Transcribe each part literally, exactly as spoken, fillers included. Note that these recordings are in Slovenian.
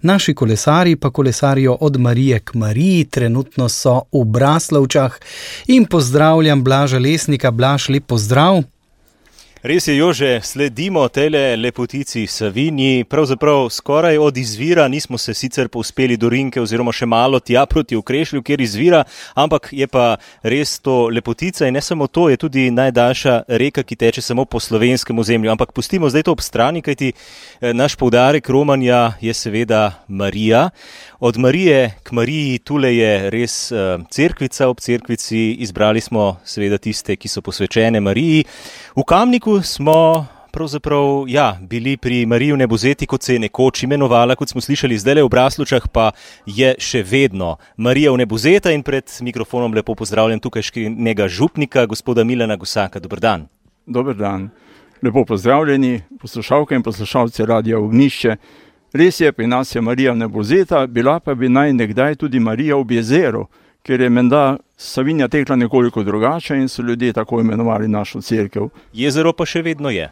Naši kolesari pa kolesarijo od Marije k Mariji, trenutno so v Braslovčah in pozdravljam Blaža Lesnika. Blaž, lep pozdrav. Res je, Jože, sledimo tele lepotici Savinji, pravzaprav skoraj od izvira, nismo se sicer povzpeli do Rinke oziroma še malo tja proti Okrešlju, kjer izvira, ampak je pa res to lepotica in ne samo to, je tudi najdaljša reka, ki teče samo po slovenskem ozemlju. Ampak pustimo zdaj to ob strani, kajti naš poudarek romanja je seveda Marija. Od Marije k Mariji, tule je res cerkvica, ob cerkvici izbrali smo seveda tiste, ki so posvečene Mariji. V Kamniku smo pravzaprav ja, bili pri Mariji v Nebozeti, kot se je nekoč imenovala, kot smo slišali zdaj v Braslovčah, pa je še vedno Marija v Nebozeta in pred mikrofonom lepo pozdravljam tukajšnjega župnika, gospoda Milana Gusaka. Dober dan. Dober dan. Lepo pozdravljeni poslušalke in poslušalci Radia Ognjišče. Res je, pri nas je Marija Nebozeta, bila pa bi naj nekdaj tudi Marija v Jezeru, ker je menda Savinja tekla nekoliko drugače in so ljudje tako imenovali našo cerkev. Jezero pa še vedno je?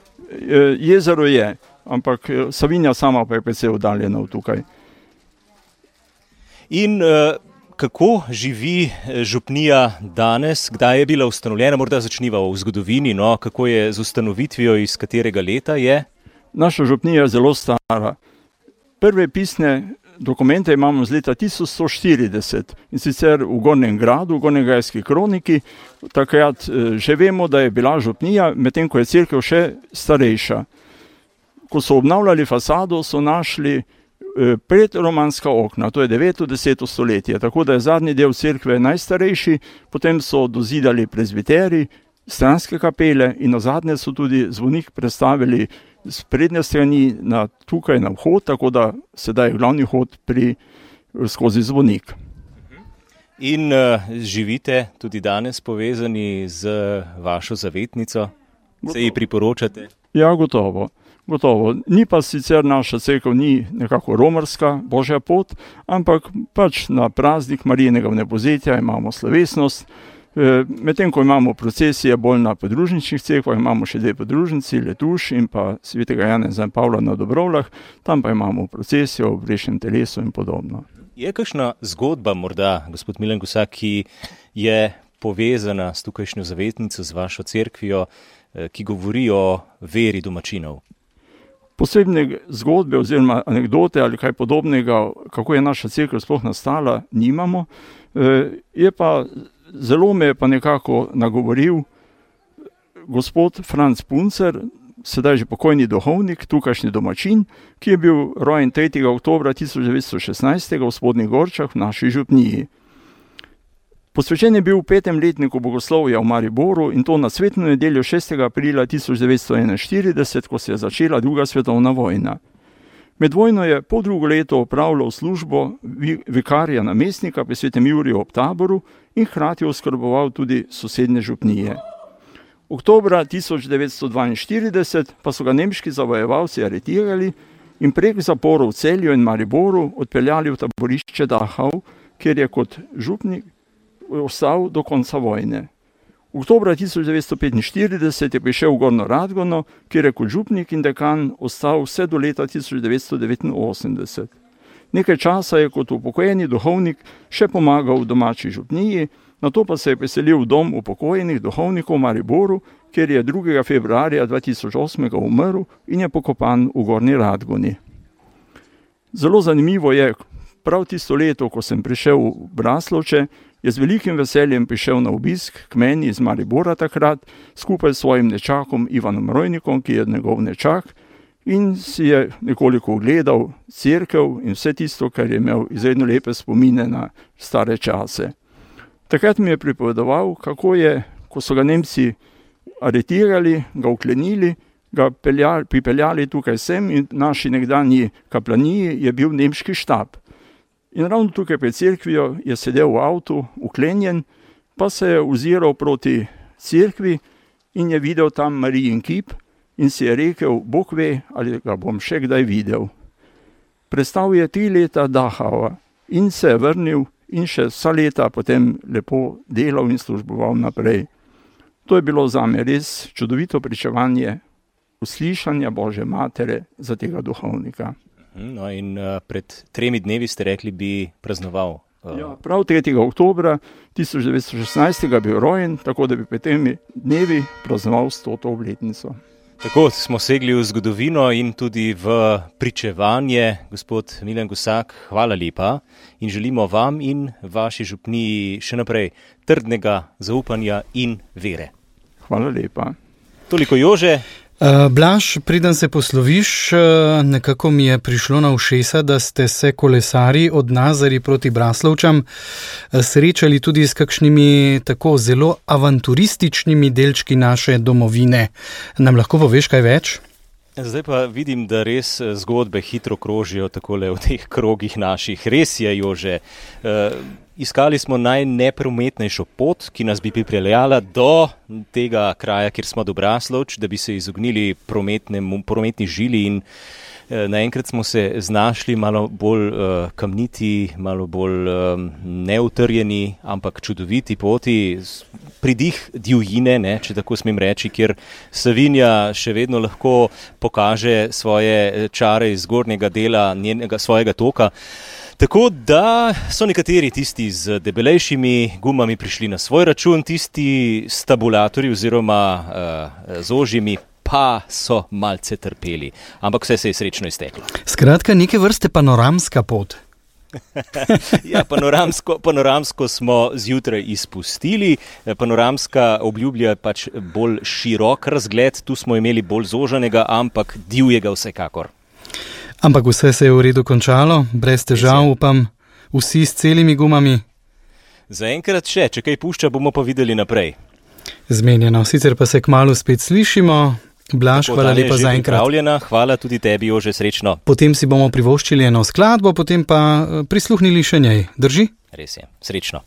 Jezero je, ampak Savinja sama pa je precej oddaljena od tukaj. In uh, kako živi župnija danes? Kdaj je bila ustanovljena? Morda začniva v zgodovini, no? Kako je z ustanovitvijo, iz katerega leta je? Naša župnija je zelo stara. Prve pisne dokumente imamo z leta tisoč sto štirideset in sicer v Gornjem gradu, v Gornjegajski kroniki. Takrat že vemo, da je bila župnija, medtem ko je cerkev še starejša. Ko so obnavljali fasado, so našli predromanska okna, to je deveto, deseto stoletje, tako da je zadnji del cerkve najstarejši, potem so dozidali prezbiteri, stranske kapele in nazadnje so tudi zvonik prestavili z prednje strani na tukaj na vhod, tako da sedaj je glavni hod pri, skozi zvonik. In uh, živite tudi danes povezani z vašo zavetnico? Se ji priporočate? Ja, gotovo. Gotovo. Ni pa sicer naša cerkev ni nekako romarska, božja pot, ampak pač na praznik Marijinega Vnebozetja imamo slovesnost. Medtem ko imamo procesije bolj na podružničnih cerkvah, imamo še dve podružnici, Letuš in pa svetega Janeza in Pavla na Dobrovlah, tam pa imamo procesijo v Brešnem telesu in podobno. Je kakšna zgodba morda, gospod Milan Gusak, ki je povezana s tukajšnjo zavetnico, z vašo cerkvijo, ki govori o veri domačinov? Posebne zgodbe oziroma anekdote ali kaj podobnega, kako je naša cerkev sploh nastala, nimamo. Je pa Zelo me je pa nekako nagovoril gospod Franc Puncer, sedaj že pokojni duhovnik, tukajšnji domačin, ki je bil rojen tretjega oktobra tisoč devetsto šestnajst v Spodnjih Gorčah v naši župniji. Posvečen je bil v petem letniku bogoslovja v Mariboru in to na svetno nedeljo šestega aprila tisoč devetsto enainštirideset, ko se je začela druga svetovna vojna. Med vojno je po drugo leto opravljal službo vikarja namestnika pri Svetem Juriju ob Taboru in hkrati oskrboval tudi sosednje župnije. Oktobra tisoč devetsto dvainštirideset pa so ga nemški zavojevalci aretirali in prek zaporov v Celju in Mariboru odpeljali v taborišče Dachau, kjer je kot župnik ostal do konca vojne. Oktobra tisoč devetsto petinštirideset je prišel v Gornjo Radgono, kjer je kot župnik in dekan ostal vse do leta tisoč devetsto devetinosemdeset. Nekaj časa je kot upokojeni duhovnik še pomagal v domači župniji, nato pa se je preselil v dom upokojenih duhovnikov v Mariboru, kjer je drugega februarja dva tisoč osem umrl in je pokopan v Gornji Radgoni. Zelo zanimivo je, prav tisto leto, ko sem prišel v Braslovče, je z velikim veseljem prišel na obisk k meni iz Maribora takrat, skupaj s svojim nečakom Ivanom Rojnikom, ki je njegov nečak, in si je nekoliko ogledal cerkev in vse tisto, kar je imel izredno lepe spomine na stare čase. Takrat mi je pripovedoval, kako je, ko so ga Nemci aretirali, ga uklenili, ga peljali, pripeljali tukaj sem in naši nekdanji kaplaniji je bil nemški štab. In ravno tukaj pred cerkvijo je sedel v avtu, uklenjen, pa se je oziral proti cerkvi in je videl tam Marijin kip in si je rekel, Bog ve, ali ga bom še kdaj videl. Prestal je tri leta Dachauja in se je vrnil in še vsa leta potem lepo delal in služboval naprej. To je bilo zame res čudovito pričevanje uslišanja Božje matere za tega duhovnika. No, in uh, pred tremi dnevi ste rekli, bi praznoval. Uh... Ja, prav tretjega oktobra tisoč devetsto šestnajst je bil rojen, tako da bi pred temi dnevi praznoval stoto obletnico. Tako smo segli v zgodovino in tudi v pričevanje. Gospod Milan Gosak, hvala lepa in želimo vam in vaši župniji še naprej trdnega zaupanja in vere. Hvala lepa. Toliko, Jože. Uh, Blaž, preden se posloviš, uh, nekako mi je prišlo na ušesa, da ste se kolesari od Nazarij proti Braslovčam uh, srečali tudi s kakšnimi tako zelo avanturističnimi delčki naše domovine. Nam lahko poveš kaj več? Zdaj pa vidim, da res zgodbe hitro krožijo takole v teh krogih naših. Res je, Jože. Uh, Iskali smo najneprometnejšo pot, ki nas bi pripeljala do tega kraja, kjer smo do Braslovč, da bi se izognili prometni žili in eh, naenkrat smo se znašli malo bolj eh, kamniti, malo bolj eh, neutrjeni, ampak čudoviti poti, pridih divjine, ne, če tako smem reči, kjer Savinja še vedno lahko pokaže svoje čare iz zgornjega dela njenega svojega toka. Tako da so nekateri tisti z debelejšimi gumami prišli na svoj račun, tisti s tabulatorji oziroma uh, z ožjimi pa so malce trpeli. Ampak vse se je srečno izteklo. Skratka, neke vrste panoramska pot. Ja, panoramsko, panoramsko smo zjutraj izpustili. Panoramska obljublja pač bolj širok razgled, tu smo imeli bolj zožanega, ampak divjega vsekakor. Ampak vse se je v redu končalo, brez težav, upam, vsi s celimi gumami. Zaenkrat še, če kaj pušča, bomo pa videli naprej. Zmenjeno, sicer pa se kmalu spet slišimo. Blaž, hvala lepa za enkrat. Hvala tudi tebi, Jože, srečno. Potem si bomo privoščili eno skladbo, potem pa prisluhnili še njej. Drži? Res je, srečno.